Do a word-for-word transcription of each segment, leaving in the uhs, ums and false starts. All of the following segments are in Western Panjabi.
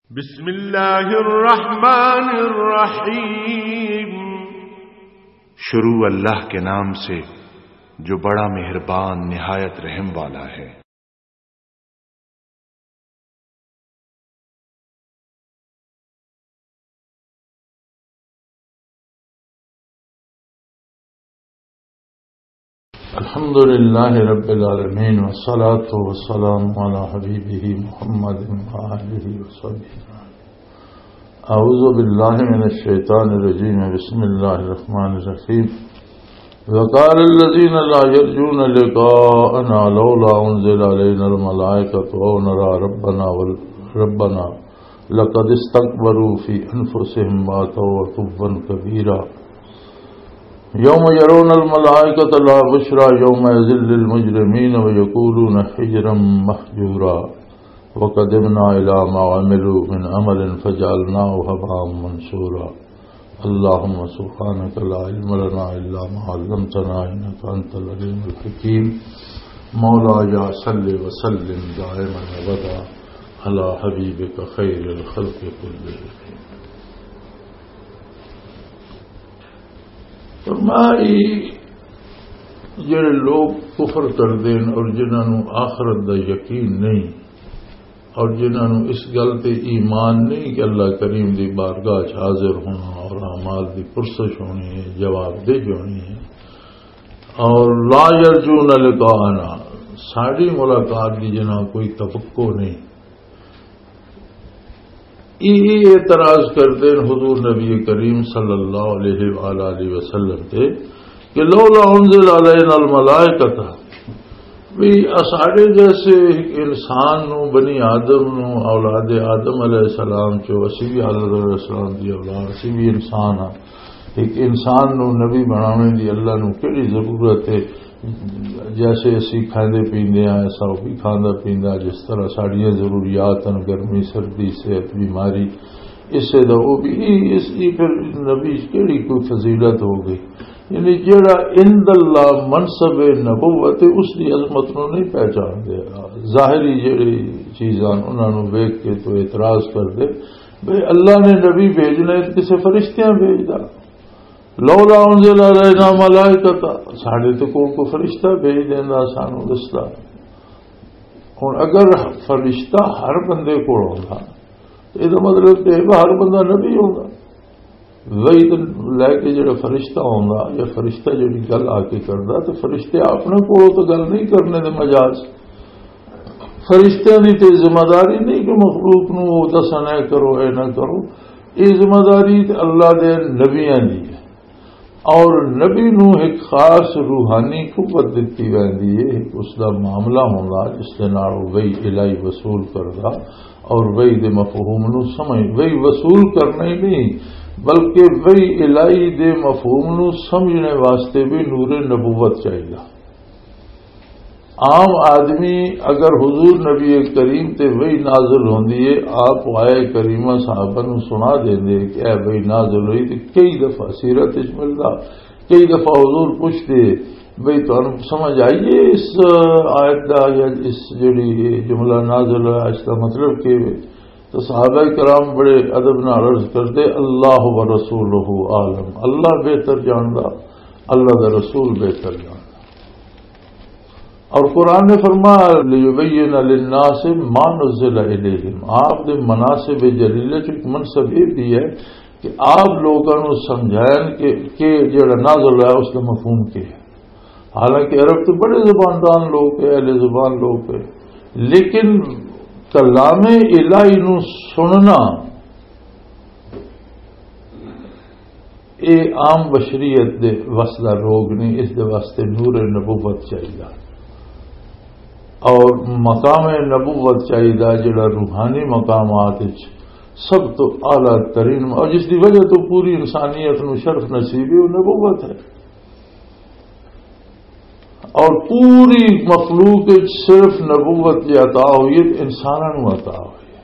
بسم اللہ الرحمن الرحیم۔ شروع اللہ کے نام سے، جو بڑا مہربان، نہایت رحم والا ہے۔ الحمد لله رب العالمين، والصلاة والسلام على حبيبه محمد وآله وصحبه. أعوذ بالله من الشيطان الرجيم. بسم الله الرحمن الرحيم. وقال الذين لا يرجون لقاءنا لولا أنزل علينا الملائكة أو نرى ربنا ول-، ربنا لقد استكبروا في أنفسهم وأتوا عتوا كبيرا. يوم يرون الملائكة لا بشرى يومئذ للمجرمين ويقولون حجرا محجورا. وقدمنا إلى ما عملوا من عمل فجعلناه هباء منثورا. اللهم سبحانك لا علم لنا إلا ما علمتنا إنك أنت العليم الحكيم. مولاي صل وسلم دائما أبدا على حبيبك خير الخلق كلهم. فرمائی، جڑے لوگ کفر کردے نے اور جنہاں نوں آخرت دا یقین نہیں، اور جنہاں نوں اس گل تے ایمان نہیں کہ اللہ کریم دی بارگاہ چ حاضر ہونا اور اعمال دی پرسش ہونی ہے، جواب دہی ہونی ہے، اور لا یرجون لقاءنا، ساڈی ملاقات دی جنہاں کوئی توقع نہیں، یہ اعتراض کردے نے حضور نبی کریم صلی اللہ علیہ وآلہ وسلم تے کہ لولا انزل علینا الملائکۃ، بھی اساڈے جیسے انسان نو، بنی آدم نو، اولاد آدم علیہ السلام چو، اسی بھی آدم علیہ السلام دی اولاد، اسی بھی انسان ہاں۔ ایک انسان نو نبی بناونے دی اللہ نو کیڑی ضرورت ہے؟ جیسے اسی کھاندے پیندے ہیں، ایسا وہ بھی کھاندا پیندا، جس طرح ساڈیاں ضروریات ہیں، گرمی، سردی، صحت، بیماری، اسے دا وہ بھی، اس، یہ پھر نبی کیڑی کوئی فضیلت ہو گئی؟ یعنی جیڑا عند اللہ منصب نبوت ہے، اس دی عظمت نو نہیں پہچان دے۔ ظاہری جیڑی چیزاں انہاں نو ویکھ کے تو اعتراض کر دے، بھئی اللہ نے نبی بھیجنا ہے تو کسے فرشتیاں بھیجدا۔ لولا انزل علینا ملائکۃ، ساڈے تے کول کوئی فرشتہ بھیج دیندا، سانو دسدا۔ ہن اگر فرشتہ ہر بندے کول ہوندا، تے اے دا مطلب تے اے ہر بندہ نبی ہوندا۔ وحی تے لے کے جڑا فرشتہ ہوندا یا فرشتہ جڑی گل آ کے کردا، تے فرشتے اپنے کولوں تے گل نہیں کرنے دے مجاز۔ فرشتیاں دی تے ذمہ داری نہیں کہ مخلوق نو او دسن، اے کرو، اے نہ کرو۔ اے ذمہ داری تے اللہ دے نبیاں دی ہے۔ اور نبی نو ایک خاص روحانی قوت دتی ویندی ہے، ایک اس دا معاملہ ہوندا جس دے نال او وحی الہی وصول کردا اور وحی دے مفہوم نو سمجھ، وحی وصول کرنا ہی نہیں بلکہ وحی الہی دے مفہوم نو سمجھنے واسطے بھی نور نبوت چاہیدا۔ عام آدمی اگر حضور نبی کریم تے وحی نازل ہوندی ہے، آپ آئے کریمہ صحابہ نو سنا دیندے کہ اے وحی نازل ہوئی، تے کئی دفعہ سیرت وچ ملدا، کئی دفعہ حضور پوچھدے، بھئی تانوں سمجھ آئی ہے اس آیت دا یا اس جڑی جملہ نازل ہوا، اس دا مطلب کہ؟ تو صحابہ کرام بڑے ادب نال عرض کردے، اللہ و رسولہ عالم، اللہ بہتر جاندا، اللہ دا رسول بہتر جاندا۔ اور قرآن نے فرمایا، "لیبین للناس ما نزل الیہم"، آپ دے مناسب جلیلہ چ ایک منصب یہ بھی ہے کہ آپ لوگاں نوں سمجھائیں کہ، کہ جڑا نازل ہوا اس کا مفہوم کیا ہے۔ حالانکہ عرب تو بڑے زباندان لوگ ہیں، اہل زبان لوگ ہیں، لیکن کلام الہی نوں سننا اے عام بشریت دے وس دا روگ نہیں، اس دے واسطے نور نبوت چاہیدا اور مقام نبوت چاہیدا، جڑا روحانی مقامات وچ سب تو اعلیٰ ترین، اور جس دی وجہ تو پوری انسانیت نو شرف نصیب ہے، وہ نبوت ہے۔ اور پوری مخلوق وچ صرف نبوت جی عطا ہوئی ہے، انساناں نو عطا ہوئی ہے۔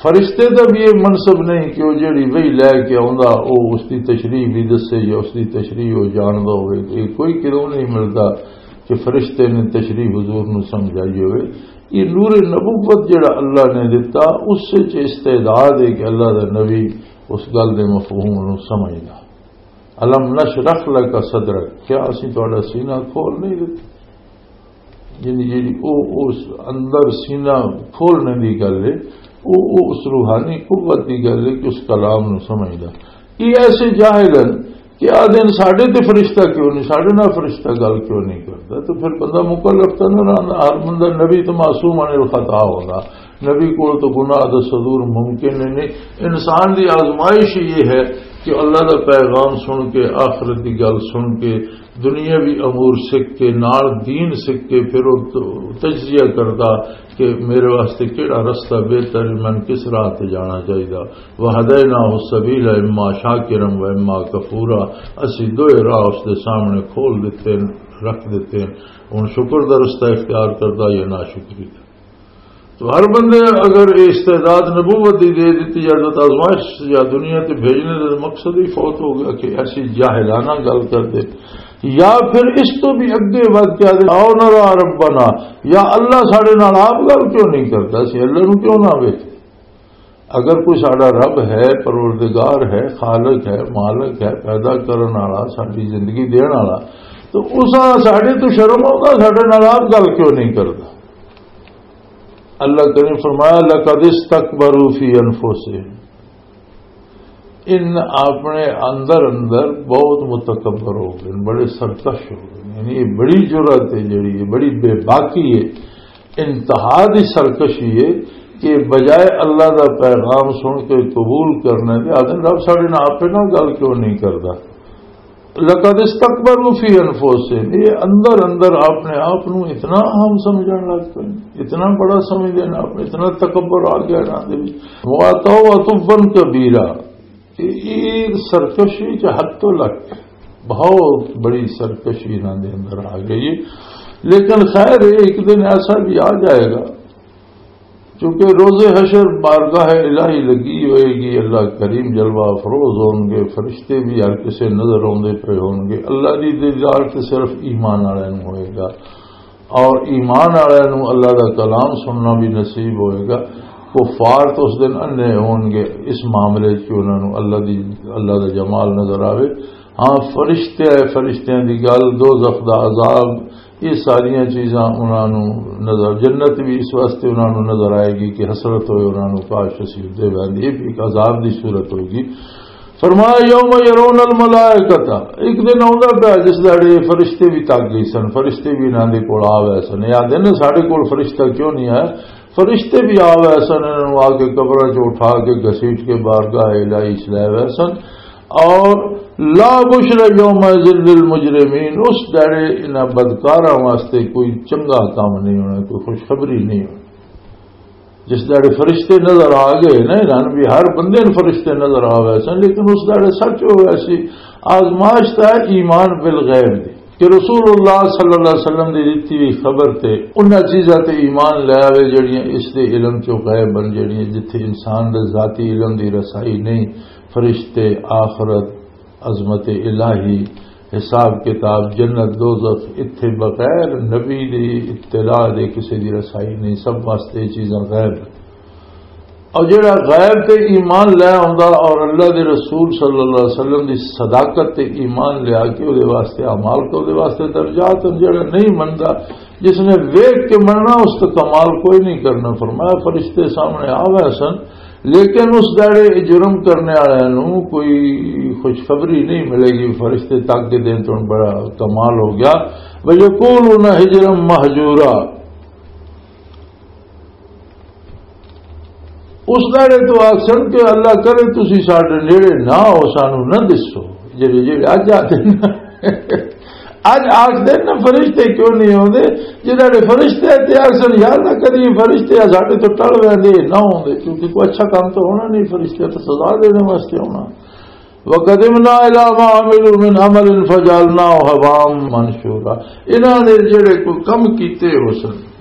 فرشتے دا بھی یہ منصب نہیں کہ وہ جڑی وحی لے کے آوندا، وہ اس دی تشریح بھی دسے یا اس دی تشریح وہ جاندا ہوئے۔ یہ کوئی کدوں نہیں ملدا۔ کہ فرشتے نے تشریح حضور نو سمجھائی ہوئے۔ یہ نور نبوت جڑا اللہ نے دتا، اس وچ استعداد ہے کہ اللہ دا نبی اس گل دے مفہوم نو سمجھدا۔ الم نشرح لک صدرک، کیا اسی تہاڈا سینہ کھول نہیں دتا؟ یعنی جیڑی او، اس اندر سینہ کھولنے دی گل ہے، او، او اس روحانی قوت دی گل ہے کہ اس کلام نو سمجھدا۔ یہ ایسے جاہل ہیں کہ آدھے نے، "ساڈے تے فرشتہ کیوں نہیں، ساڈے نال فرشتہ گل کیوں نہیں کردا؟" تو پھر بندہ مکلف تو نہ رہندا، ہر بندہ نبی تو معصوم عن الخطا ہوندا، نبی کول تو گناہ دا صدور ممکن ہی نہیں۔ انسان دی آزمائش یہ ہے کہ اللہ دا پیغام سن کے، آخرت دی گل سن کے، دنیاوی امور سکھ کے، نال دین سکھ کے، پھر وہ تجزیہ کردا کہ میرے واسطے کیڑا رستہ بہتر ہے، میں کس راہ تے جانا چاہیدا۔ وَهَدَيْنَاهُ السَّبِيلَ إِمَّا شَاكِرًا وَإِمَّا كَفُورًا، اسی دوئے راہ اس دے سامنے کھول دیتے ہیں، رکھ دیتے ہیں۔ ہن شکر دا رستہ اختیار کردا یا ناشکری دا۔ تو ہر بندے اگر یہ استعداد نبوت دی دے دیتی جائے تو آزمائش یا دنیا تے بھیجنے دا مقصد ہی فوت ہو گیا کہ ایسی جاہلانہ گل کر دے۔ یا پھر اس تو بھی اگے ود کے آدھے، "آؤ نرا ربنا"، یا اللہ ساڈے نال آپ گل کیوں نہیں کردا، اسی اللہ نو کیوں نہ ویکھ؟ اگر کوئی ساڈا رب ہے، پروردگار ہے، خالق ہے، مالک ہے، پیدا کرن والا، ساڈی زندگی دین والا، تو اس ساڈے تو شرم آؤندا، ساڈے نال آپ گل کیوں نہیں کردا؟ اللہ کریم فرمایا، "لقد استكبروا في أنفسهم"، ان اپنے اندر اندر بہت متکبر ہو گئے، بڑے سرکش ہو گئے۔ یعنی یہ بڑی جرأت ہے جڑی، یہ بڑی بے باکی ہے، انتہا دی سرکشی ہے کہ بجائے اللہ دا پیغام سن کے قبول کرنے دے، آدھے، "رب ساڈے نال آپے نال گل کیوں نہیں کردا؟" لقد استكبروا في أنفسهم، یہ اندر اندر اپنے آپ نو اتنا اہم سمجھن لگ پے، اتنا بڑا سمجھدے نے، آپ اتنا تکبر آ گیا انہاں دے وچ۔ وَأَتَوْا عُتُوًّا كَبِيرًا، یہ، یہ سرکشی چ حد تو لگ کے بہت بڑی سرکشی انہاں دے اندر آ گئی ہے۔ لیکن خیر، ایک دن ایسا بھی آ جائے گا، کیونکہ روز حشر بارگاہ الہی لگی ہوئے گی، اللہ کریم جلوہ افروز ہون گے، فرشتے بھی ہر کسے نظر آندے پے ہون گے۔ اللہ دی دیدار تے صرف ایمان والے نوں ہوئے گا، اور ایمان والے نوں اللہ دا کلام سننا بھی نصیب ہوئے گا۔ کفار تو اس دن اندھے ہون گے اس معاملے چ کہ انہاں نوں اللہ دی، اللہ دا جمال نظر آوے۔ ہاں، فرشتے، فرشتیاں دی گل، دوزخ دا عذاب، یہ ساریاں چیزاں انہاں نوں نظر، جنت بھی اس واسطے انہاں نوں نظر آئے گی کہ حسرت ہوئے انہاں نوں، کاش اسی ادے ویندے۔ یہ بھی ایک عذاب دی صورت ہوگی۔ فرمایا، "یوم یرون الملائکۃ"، ایک دن آوندا پیا جس داڑے فرشتے بھی تک گئے سن، فرشتے بھی انہاں دے کول آ گئے سن۔ یہ آدھے نے، "ساڈے کول فرشتہ کیوں نہیں آیا؟" فرشتے بھی آ گئے سن، انہاں نوں آ کے قبراں چ اٹھا کے گھسیٹ کے بارگاہ الہی چ لے گئے سن۔ اور لا بشر یومئذ للمجرمین، اس دہڑے انہاں بدکاراں واسطے کوئی چنگا کام نہیں ہونا، کوئی خوشخبری نہیں ہونی۔ جس دہڑے فرشتے نظر آ گئے نا، انہاں بھی ہر بندے نوں فرشتے نظر آ گئے سن، لیکن اس دہڑے سچ ہو گیا سی۔ آزمائش تھا ایمان بالغیب دی، کہ رسول اللہ صلی اللہ علیہ وسلم دی دتی ہوئی خبر تے انہاں چیزاں تے ایمان لے آوے جڑیاں اس دے علم چوں غائب ہن، جڑیاں جتھے انسان دے ذاتی علم دی رسائی نہیں۔ فرشتے، آخرت، عظمت الہی، حساب کتاب، جنت، دوزخ، اتھے بغیر نبی دی اطلاع دے کسے دی رسائی نہیں، سب واسطے یہ چیزاں غیب ہن۔ اور جڑا غیب تے ایمان لے آوندا اور اللہ دے رسول صلی اللہ علیہ وسلم دی صداقت تے ایمان لیا کے اودے واسطے اعمال کو اودے واسطے درجات ہن، جڑا نہیں مندا، جس نے ویکھ کے مننا، اس تو کمال کوئی نہیں کرنا۔ فرمایا، فرشتے سامنے آ گئے سن، لیکن اس داڑے جرم کرنے والے نو کوئی خوشخبری نہیں ملے گی۔ فرشتے تک کے دن تو بڑا کمال ہو گیا۔ وَيَقُولُونَ حِجْرًا مَحْجُورًا، اس داڑے تو آخسن کہ اللہ کرے تسی ساڈے نیڑے نہ ہو، سانو نہ دسو۔ جڑے، جڑے اج آتے نا، اج آخدے نا فرشتے کیوں نہیں ہوندے؟ جڑے فرشتے تے آخسن، یا اللہ کدی فرشتے ساڈے تو ٹل ویندے، نہ ہوندے، کیونکہ کوئی اچھا کام تو ہونا نہیں، فرشتے تو سزا دینے واسطے ہونا۔ وَقَدِمْنَا إِلَىٰ مَا عَمِلُوا مِنْ عَمَلٍ فَجَعَلْنَاهُ هَبَاءً مَّنثُورًا، انہاں نے جڑے کوئی کم کیتے ہو سن،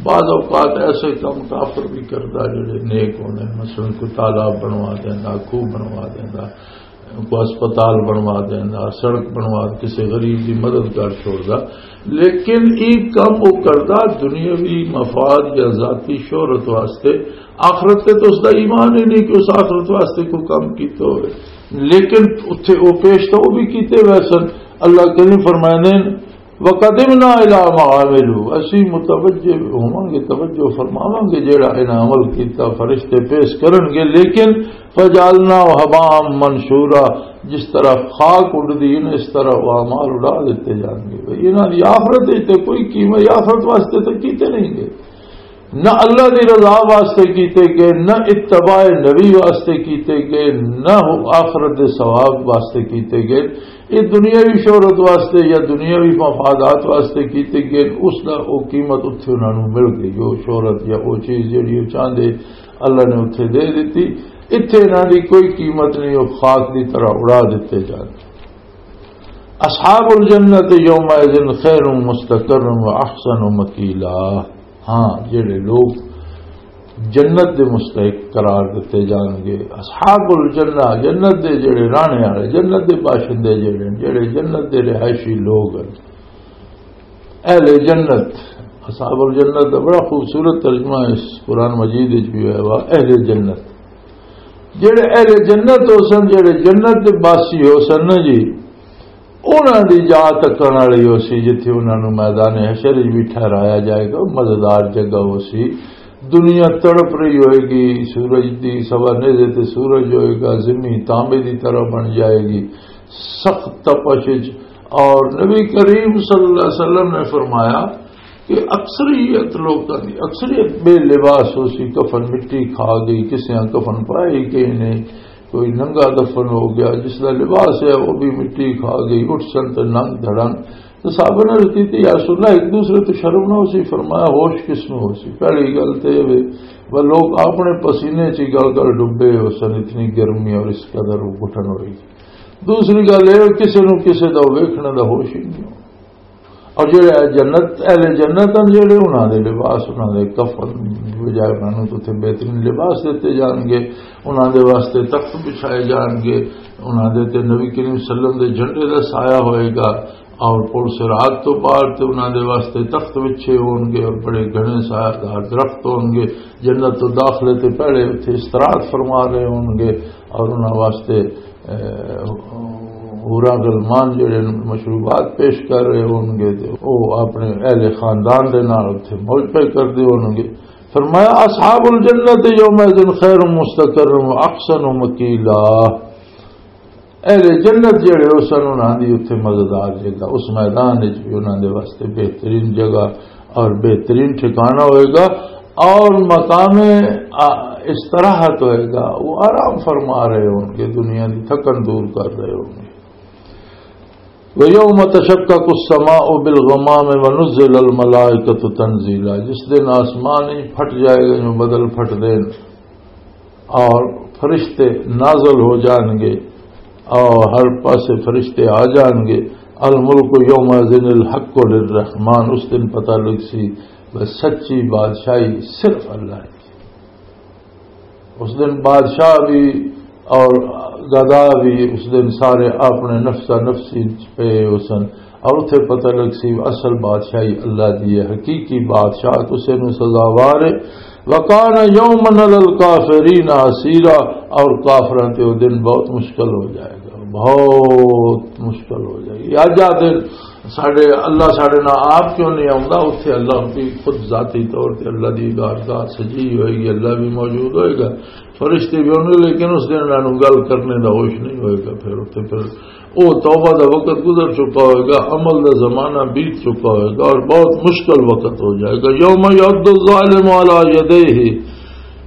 بعض اوقات ایسے کم کافر بھی کردا جڑے نیک ہوندے نے، مثلاً کوئی تالاب بنوا دیندا، کھوہ بنوا دیندا، کوئی ہسپتال بنوا دیندا، سڑک بنوا، کسی غریب دی مدد کر چھوڑدا، لیکن یہ کم وہ کردا دنیاوی مفاد یا ذاتی شہرت واسطے۔ آخرت تے تو اس دا ایمان ہی نہیں کہ اس آخرت واسطے کوئی کم کیتا ہوئے۔ لیکن اتھے وہ پیش تو وہ بھی کیتے ہوئے سن۔ اللہ کریم فرمائے نے، وَقَدِمْنَا إِلَىٰ مَا عَمِلُوا، اسی متوجہ ہوواں گے، توجہ فرماواں گے جڑا انہاں عمل کیتا، فرشتے پیش کرن گے، لیکن فَجَعَلْنَاهُ هَبَاءً مَّنثُورًا، جس طرح خاک اڑدی ہے اس طرح وہ اعمال اڑا دیتے جان گے۔ بھئی انہاں دی آخرت وچ تے کوئی قیمت، آخرت واسطے تے کیتے نہیں گے، نہ اللہ دی رضا واسطے کیتے گئے، نہ اتباع نبی واسطے کیتے گئے، نہ آخرت دے ثواب واسطے کیتے گئے۔ یہ دنیاوی شہرت واسطے یا دنیاوی مفادات واسطے کیتے گئے، اس دا او قیمت اتھے انہاں نوں مل گئی۔ او شہرت یا او چیز جڑی او چاہندے، اللہ نے اتھے دے دتی۔ اتھے انہاں دی کوئی قیمت نہیں، او خاک دی طرح اڑا دتے جان۔ اصحاب الجنت یومئذ خیر مستقر و احسن مقیلا۔ ہاں، جڑے لوگ جنت دے مستحق قرار دتے جان گے، اصحاب الجنہ، جنت دے جڑے راہنے والے، جنت دے باشندے جڑے، جڑے جنت دے رہائشی لوگ ہیں، اہل جنت۔ اصحاب الجنت دا بڑا خوبصورت ترجمہ اس قرآن مجید وچ بھی ہویا وا، اہل جنت۔ جڑے اہل جنت ہو سن، جڑے جنت دے باسی ہو سن نا جی، انہاں دی جا تکن والی ہو سی، جتھے انہاں نوں میدان حشر وچ بھی ٹھہرایا جائے گا، مزیدار جگہ ہو سی۔ دنیا تڑپ رہی ہوئے گی، سورج دی سوا نیزے تے سورج ہوئے گا، زمین تانبے دی طرح بن جائے گی، سخت تپش وچ۔ اور نبی کریم صلی اللہ علیہ وسلم نے فرمایا کہ اکثریت لوکاں دی، اکثریت بے لباس ہو سی، کفن مٹی کھا گئی، کسے کفن پائے کہ نہیں، کوئی ننگا دفن ہو گیا، جس دا لباس ہے وہ بھی مٹی کھا گئی، اٹھ سن تے ننگ دھڑن۔ تو صحابہ نے عرض کی، "یا رسول اللہ، ایک دوسرے تو شرم نہ ہو سی؟" فرمایا، "ہوش کس میں ہو سی؟" پہلی گل تے یہ وے، وہ لوگ اپنے پسینے چ گل گل ڈبے ہو سن، اتنی گرمی اور اس قدر وہ گھٹن ہوئی۔ دوسری گل یہ، کسے نو کسے دا ویکھنے دا ہوش ہی نہیں ہو۔ اور جڑے جنت، اہل جنت ہیں، جڑے انہاں دے لباس، انہاں دے کفن، بجائے انہاں نوں تے بہترین لباس دتے جان گے، انہاں دے واسطے تخت بچھائے جان گے، انہاں دے تے نبی کریم صلی اللہ علیہ وسلم دے جھنڈے دا سایہ ہوئے گا، اور پل صراط تو پار تے انہاں دے واسطے تخت وچھے ہون گے اور بڑے گھنے سایہ دار درخت ہون گے۔ جنت تو داخلے تے پہلے اتھے استراحت فرما رہے ہون گے اور انہاں واسطے، اے، حوراں غلمان جڑے مشروبات پیش کر رہے ہون گے، تے او اپنے اہل خاندان دے نال اتھے موج پے کردے ہون گے۔ فرمایا، "اصحاب الجنت یومئذ خیر مستقر و احسن مقیلا۔" اہل جنت جڑے ہو سن، انہاں دی اتھے مزیدار جگہ، اس میدان وچ بھی انہاں دے واسطے بہترین جگہ اور بہترین ٹھکانہ ہوئے گا، اور مقام، آ، استراحت ہوئے گا، وہ آرام فرما رہے ہون گے، دنیا دی تھکن دور کر رہے ہون گے۔ وَيَوْمَ تَشَقَّقُ السَّمَاءُ بِالْغَمَامِ وَنُزِّلَ الْمَلَائِكَةُ تَنزِيلًا، جس دن آسمان ہی پھٹ جائے گا، جو بدل پھٹ دین، اور فرشتے نازل ہو جان گے اور ہر پاسے فرشتے آ جان گے۔ الملک یومئذ الحق للرحمن، اس دن پتہ لگ سی بس سچی بادشاہی صرف اللہ کی۔ اس دن بادشاہ بھی اور گدا بھی، اس دن سارے اپنے نفسا نفسی پہ ہو سن۔ اور اتھے پتہ لگ سی اصل بادشاہی اللہ دی ہے، حقیقی بادشاہ کسے نوں سزاوار ہے۔ وَكَانَ يَوْمًا عَلَى الْكَافِرِينَ عَسِيرًا، اور کافراں تے وہ دن بہت مشکل ہو جائے گا، بہت مشکل ہو جائے گی۔ اج آ دن ساڈے، اللہ ساڈے نال آپ کیوں نہیں آوندا؟ اتھے اللہ بھی خود ذاتی طور تے اللہ دی عبادت سجی ہوئے گی، اللہ بھی موجود ہوئے گا، فرشتے بھی ہونگے، لیکن اس دن انہاں نوں گل کرنے دا ہوش نہیں ہوئے گا۔ پھر اتھے پھر او توبہ دا وقت گزر چکا ہوئے گا، عمل دا زمانہ بیت چکا ہوئے گا اور بہت مشکل وقت ہو جائے گا۔ یوم یعض الظالم علی یدیہ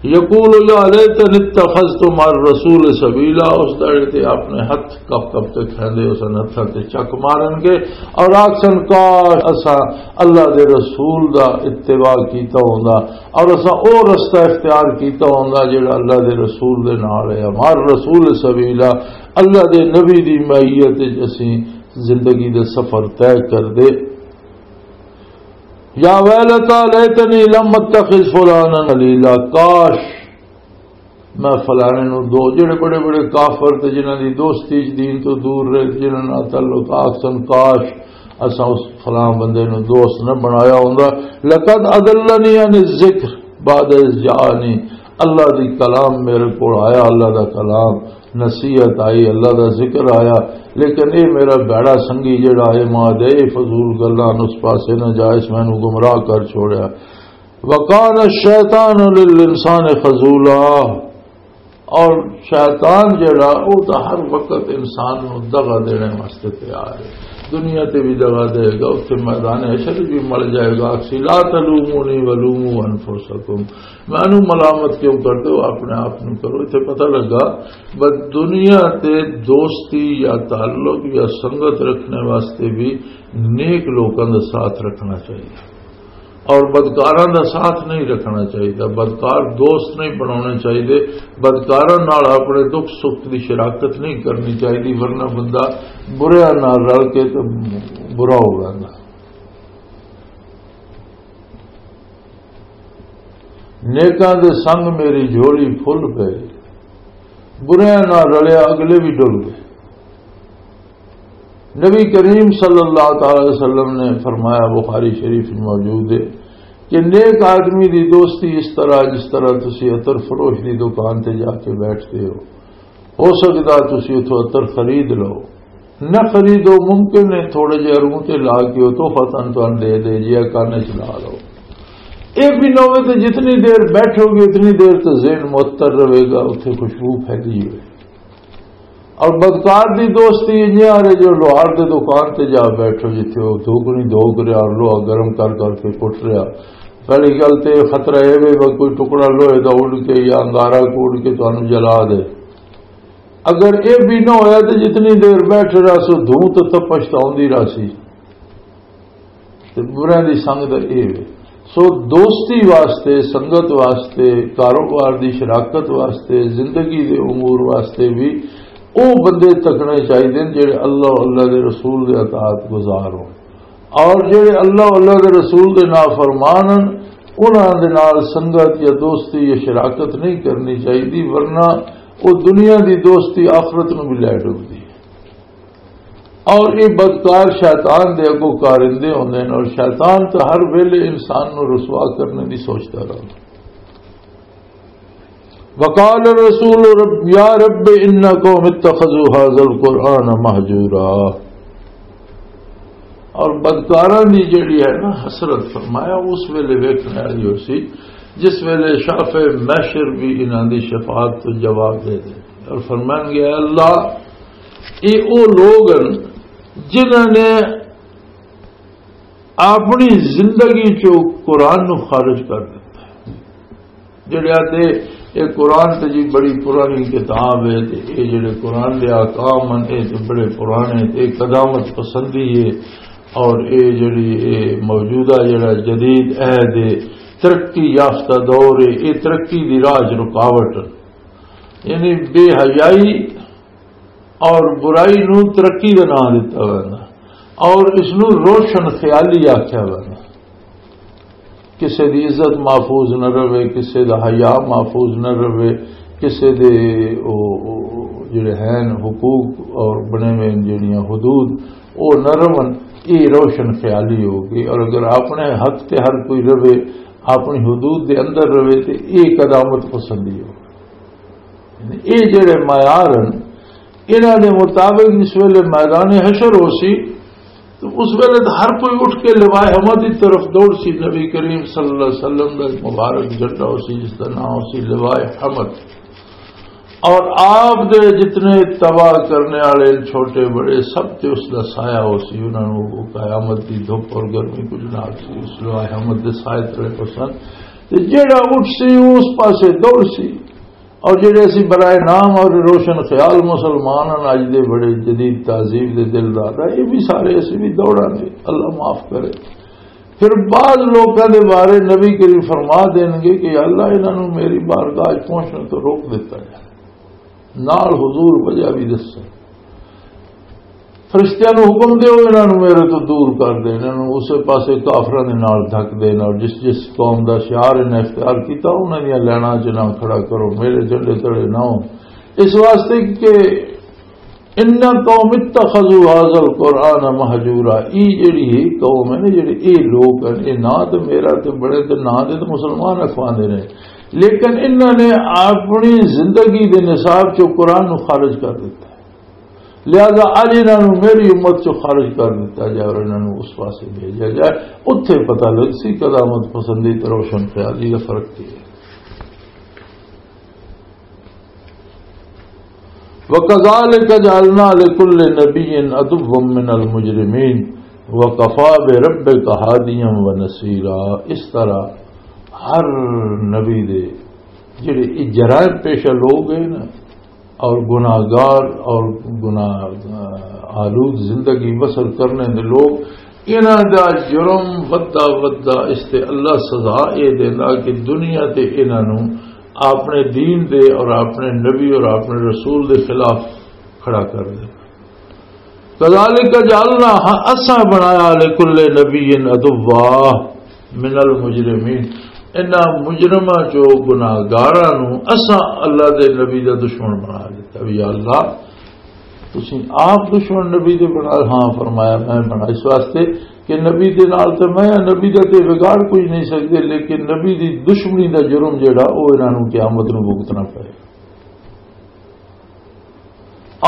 یقول یا لیتنی اتخذت مع الرسول سبیلا، اس دڑے تے اپنے ہتھ کپ کپ تے کھیندے، اس ہتھاں تے چک مارن گے اور آکھن، کاش اساں اللہ دے رسول دا اتباع کیتا ہوندا اور اساں او رستہ اختیار کیتا ہوندا جڑا اللہ دے رسول دے نال ہے، مع الرسول سبیلا، اللہ دے نبی دی معیت وچ اسیں زندگی دے سفر طے کر دے۔ یا ویلتا لیتنی لم اتخذ فلانا خلیلا، کاش میں فلانے نو دو، جڑے بڑے بڑے کافر تے جنہاں دی دوستی چ دین تو دور رہے، جنہاں نال تعلق آکھ سن، کاش اساں اس فلاں بندے نو دوست نہ بنایا ہوندا۔ لقد اضلنی عن الذکر بعد اذ جاءنی، اللہ دی کلام میرے کول آیا، اللہ دا کلام، نصیحت آئی، اللہ دا ذکر آیا، لیکن اے میرا بیڑا سنگی جڑا اے ماں دے، اے فضول گلاں نو اس پاسے نہ جا، اس مینوں گمراہ کر چھوڑیا۔ وکان الشیطان للانسان خذولا، اور شیطان جڑا، او تاں ہر وقت انسان نوں دغا دینے واسطے تیار ہے۔ دنیا تے بھی دغا دے گا، اتھے میدان حشر بھی مل جائے گا، آکھسی، "لا تلومونی ولوموا انفسکم۔" مینوں ملامت کیوں کر دو، اپنے آپ نوں کرو۔ اتھے پتہ لگا، بس دنیا تے دوستی یا تعلق یا سنگت رکھنے واسطے بھی نیک لوکاں دا ساتھ رکھنا چاہیے۔ اور بدکاراں دا ساتھ نہیں رکھنا چاہیے، بدکار دوست نہیں بنانے چاہیے، بدکاراں نال اپنے دکھ سکھ دی شراکت نہیں کرنی چاہیے، ورنہ بندہ بریاں نال رل کے تے برا ہو جاندا۔ نیکاں دے سنگ میری جھولی پھل پے، بریاں نال رلیا اگلے بھی ڈل گئے۔ نبی کریم صلی اللہ تعالی علیہ وسلم نے فرمایا، بخاری شریف میں موجود ہے، کہ نیک آدمی دی دوستی اس طرح، جس طرح تسی عطر فروش دی دکان تے جا کے بیٹھتے ہو، ہو سکتا تسی اتھوں عطر خرید لو، نہ خریدو، ممکن ہے تھوڑے جہے روح تے لا کے وہ تحفہ تن تن دے دے، جیا کان چ لا لو۔ یہ بھی نہ ہوئے تو جتنی دیر بیٹھو گے، اتنی دیر تو ذہن معطر رہے گا، اتھے خوشبو پھیلی ہوئے۔ اور بدکار دی دوستی انجے آ رہے جو لوہار دے دکان تے جا بیٹھو، جتھے وہ دھوکنی دھوک رہا اور لوہا گرم کر کر کے کٹ رہا۔ پہلی گل تے خطرہ اے وے، کوئی ٹکڑا لوہے دا اڑ کے یا انگارہ کو اڑ کے تانوں جلا دے۔ اگر اے بھی نہ ہویا تے جتنی دیر بیٹھ رہا سو، دھوں تے تپش تاں ہوندی رہسی۔ تے برے دی سنگ دا اے وے۔ سو دوستی واسطے، سنگت واسطے، کاروبار دی شراکت واسطے، زندگی دے امور واسطے بھی او بندے تکنے چاہیے جڑے اللہ، اللہ دے رسول دے اطاعت گزار ہون، اور جڑے اللہ، اللہ دے رسول دے نافرمان ہن، انہاں دے نال سنگت یا دوستی یا شراکت نہیں کرنی چاہیے، ورنہ او دنیا دی دوستی آخرت نو بھی لے ڈبدی ہے۔ اور یہ بدکار شیطان دے اگوں کارندے ہوندے نے، اور شیطان تو ہر ویلے انسان نو رسوا کرنے دی سوچدا رہندا۔ وقال الرسول رب، یا رب، ان قوم اتخذوا هذا القرآن مهجورا۔ اور بدکاراں دی جڑی ہے نا حسرت، فرمایا اس ویلے ویکھنے والی ہو سی، جس ویلے شافع محشر بھی انہاں دی شفاعت تو جواب دے دے۔ اور فرمان گیا، اللہ، اے او لوگ ہن جنہاں نے اپنی زندگی چوں قرآن نو خارج کر دتا۔ جڑے آتے، اے قرآن تے جی بڑی پرانی کتاب ہے، تے اے جڑے قرآن دے احکام ہن، اے تے بڑے پرانے، تے اے قدامت پسندی ہے، اور اے جڑی اے موجودہ جڑا جدید عہد ہے، ترقی یافتہ دور ہے، اے ترقی دی راہ چ رکاوٹ ہے۔ یعنی بے حیائی اور برائی نو ترقی دا نام دتا ہوا ہے، اور اس نو روشن خیالی آکھیا ہوا ہے۔ کسے دی عزت محفوظ نہ رہے، کسے دا حیا محفوظ نہ رہے، کسے دے او، او، جڑے ہیں حقوق اور بنے ہوئے جڑیاں حدود، او نہ رہن، اے روشن خیالی ہو گئی۔ اور اگر اپنے حق تے ہر کوئی رہے، اپنی حدود دے اندر رہے، تے اے قدامت پسندی ہو۔ اے جڑے معیار ہیں، انہاں دے مطابق جس ویلے میدان حشر ہو سی، تو اس ویلے تو ہر کوئی اٹھ کے لوائے حمد کی طرف دوڑ سی۔ نبی کریم صلی اللہ علیہ وسلم دا ایک مبارک جھنڈا ہو سی، جس دا نام ہو سی لوائے حمد۔ اور آپ دے جتنے تباہ کرنے والے چھوٹے بڑے، سب تے اس دا سایہ ہو سی۔ انہاں نوں وہ قیامت دی دھوپ اور گرمی کچھ نہ آ سی، اس لوائے حمد دے سائے تلے پسند۔ تے جیڑا اٹھ سی، وہ اس پاسے دوڑ سی۔ اور جڑے اسی برائے نام اور روشن خیال مسلمان ہیں، اج دے بڑے جدید تہذیب دے دلدار ہیں، یہ بھی سارے اسی بھی دوڑاں گے، اللہ معاف کرے۔ پھر بعض لوکاں دے بارے نبی کریم فرما دین گے کہ یا اللہ، انہاں نوں میری بارگاہ وچ پہنچنے تو روک دیتا جائے، نال حضور وجہ بھی دسے۔ فرشتیاں نوں حکم دیو، انہاں نوں میرے تو دور کر دے، انہاں نوں اسے پاسے کافراں دے نال ڈھک دے، اور جس جس قوم دا شعار انہاں اختیار کیتا، انہاں دیاں لیناں چ نہ کھڑا کرو، میرے جھنڈے تلے نہ ہو۔ اس واسطے کہ ان قوم اتخذوا هذا القرآن مهجورا، ای جڑی ہے قوم ہے نا، جڑے اے لوگ ہیں، اے نہ تے میرا تے بڑے تے نہ دے تے مسلمان اخواندے نے، لیکن انہاں نے اپنی زندگی دے نصاب چوں قرآن نوں خارج کر دیتا ہے۔ لہذا اج انہاں نوں میری امت چوں خارج کر دیتا جائے اور انہاں نوں اس پاسے بھیجا جائے، اتھے پتہ لگ سی قدامت پسندی تے روشن خیالی دا فرق کی ہے۔ وَكَذَلِكَ جَعَلْنَا لِكُلِّ نَبِيٍّ عَدُوًّا مِنَ الْمُجْرِمِينَ وَكَفَىٰ بِرَبِّكَ هَادِيًا وَنَصِيرًا۔ اس طرح ہر نبی دے جڑے یہ جرائم پیشہ لوگ ہیں نا، اور گناہگار اور گناہ آلود زندگی بسر کرنے دے لوگ، انہاں دا جرم ودھدا ودھدا اس تے اللہ سزا اے دیندا کہ دنیا تے انہاں نوں اپنے دین دے اور اپنے نبی اور اپنے رسول دے خلاف کھڑا کر دے۔ کذالک جعلنا، ہاں، اساں بنایا لکل نبی عدوا من المجرمین، انہاں مجرماں چو گناہگاراں نو اساں اللہ دے نبی دا دشمن بنا دیتا۔ بھی یا اللہ، تسی آپ دشمن نبی دے بنا؟ ہاں، فرمایا میں بنا اس واسطے کہ نبی دے نال تے میں، نبی دا تے بگاڑ کوئی نہیں سکدے، لیکن نبی دی دشمنی دا جرم جڑا، او انہاں نو قیامت نو بھگتنا پئے۔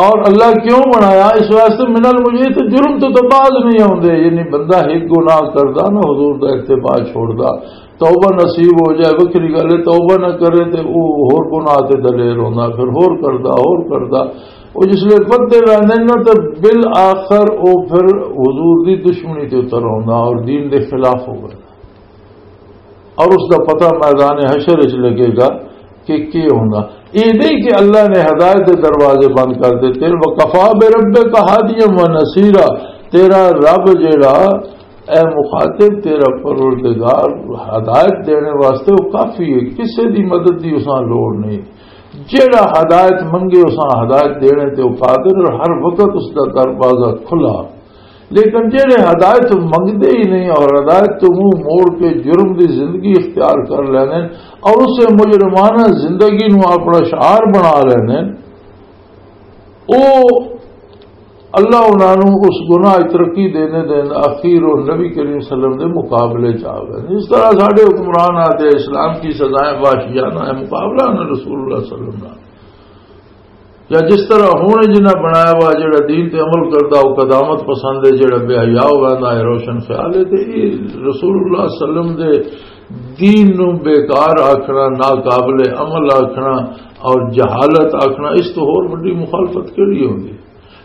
اور اللہ کیوں بنایا؟ اس واسطے من المجرمین، تو جرم تو، تو باز نہیں آوندے۔ یعنی بندہ ایک گناہ کردا نا، حضور دا اتباع چھوڑدا، توبہ نصیب ہو جائے، وکری گل ہے، توبہ نہ کرے تے او ہور گناہ تے دلیر ہوندا، پھر ہور کردا، ہور کردا۔ او جس لے ودے ویندے نا، تے بالآخر او پھر حضور دی دشمنی تے اتر آوندا اور دین دے خلاف ہو گیا۔ اور اس دا پتہ میدان حشر وچ لگے گا کہ کی ہوندا۔ یہ نہیں کہ اللہ نے ہدایت دے دروازے بند کر دیتے۔ وَكَفَىٰ بِرَبِّكَ هَادِيًا وَنَصِيرًا، تیرا رب جیڑا، اے مخاطب، تیرا پروردگار ہدایت دینے واسطے وہ کافی ہے، کسے دی مدد دی اساں لوڑ نہیں۔ جیڑا ہدایت منگے اساں ہدایت دینے تے وہ قادر، اور ہر وقت اس دا دروازہ کھلا۔ لیکن جڑے ہدایت منگدے ہی نہیں اور ہدایت تو منہ موڑ کے جرم دی زندگی اختیار کر لینے اور اسے مجرمانہ زندگی نو اپنا شعار بنا لینے، او اللہ انہاں نو اس گناہ وچ ترقی دینے دین اخیر اور نبی کریم صلی اللہ علیہ وسلم دے مقابلے چ آ گئے۔ اس طرح ساڈے حکمران آتے اسلام کی سزائیں وحشیانہ ہے، مقابلہ نہ رسول اللہ صلی اللہ علیہ وسلم نال۔ یا جس طرح ہن جنہاں بنایا ہوا جڑا دین تے عمل کردا، او قدامت پسند ہے، جڑا بے حیا ہو ویندا ہے، روشن خیال ہے، تے یہ رسول اللہ صلی اللہ علیہ وسلم دے دین نو بیکار آکھنا، ناقابل عمل آکھنا اور جہالت آکھنا، اس تو ہور وڈی مخالفت کیڑی ہوندی؟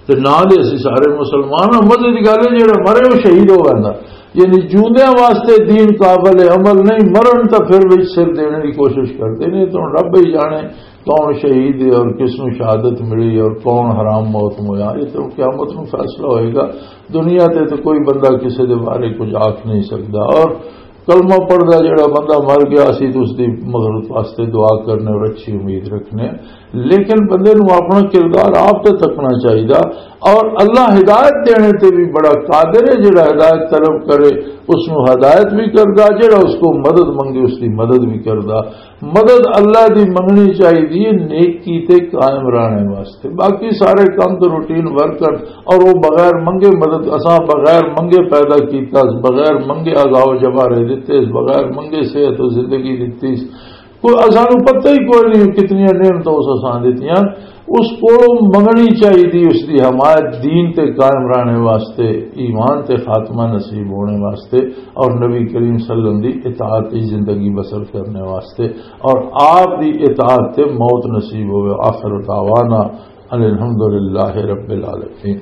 تے نہ دے اسی سارے مسلمان ہاں، مزے دی گل ہے، جڑا مرے وہ شہید ہو ویندا۔ یعنی جوندیاں واسطے دین قابل عمل نہیں، مرن تاں پھر وچ سر دینے دی کوشش کردے نے۔ تو رب ہی جانے کون شہید ہے اور کس نو شہادت ملی اور کون حرام موت مویا، یہ تو قیامت نو فیصلہ ہوئے گا۔ دنیا تے تو کوئی بندہ کسی دے بارے کچھ آکھ نہیں سکدا۔ اور کلمہ پڑھدا جڑا بندہ مر گیا، اسی تو اس دی مغفرت واسطے دعا کرنے اور اچھی امید رکھنے، لیکن بندے نو اپنا کردار آپ تے تکنا چاہیدا۔ اور اللہ ہدایت دینے تے بھی بڑا قادر ہے، جڑا ہدایت طلب کرے اس نو ہدایت بھی کردا، جڑا اس کو مدد منگے اس دی مدد بھی کردا۔ مدد اللہ دی منگنی چاہیے نیکی تے قائم رہنے واسطے۔ باقی سارے کم تو روٹین ورک کر، اور وہ بغیر منگے مدد، اساں بغیر منگے پیدا کیتا، بغیر منگے آگاہ و جبارے دتے، بغیر منگے صحت و زندگی دتی۔ کوئی اساں نوں پتہ ہی کوئی نہیں کتنی نعمتاں اس اساں دتیاں۔ اس کو منگنی چاہیے، اس دی حمایت دین تے قائم رہنے واسطے، ایمان تے خاتمہ نصیب ہونے واسطے، اور نبی کریم صلی اللہ علیہ وسلم دی اطاعت دی زندگی بسر کرنے واسطے، اور آپ دی اطاعت تے موت نصیب ہوئے۔ آخر دعوانا ان الحمدللہ رب العالمین۔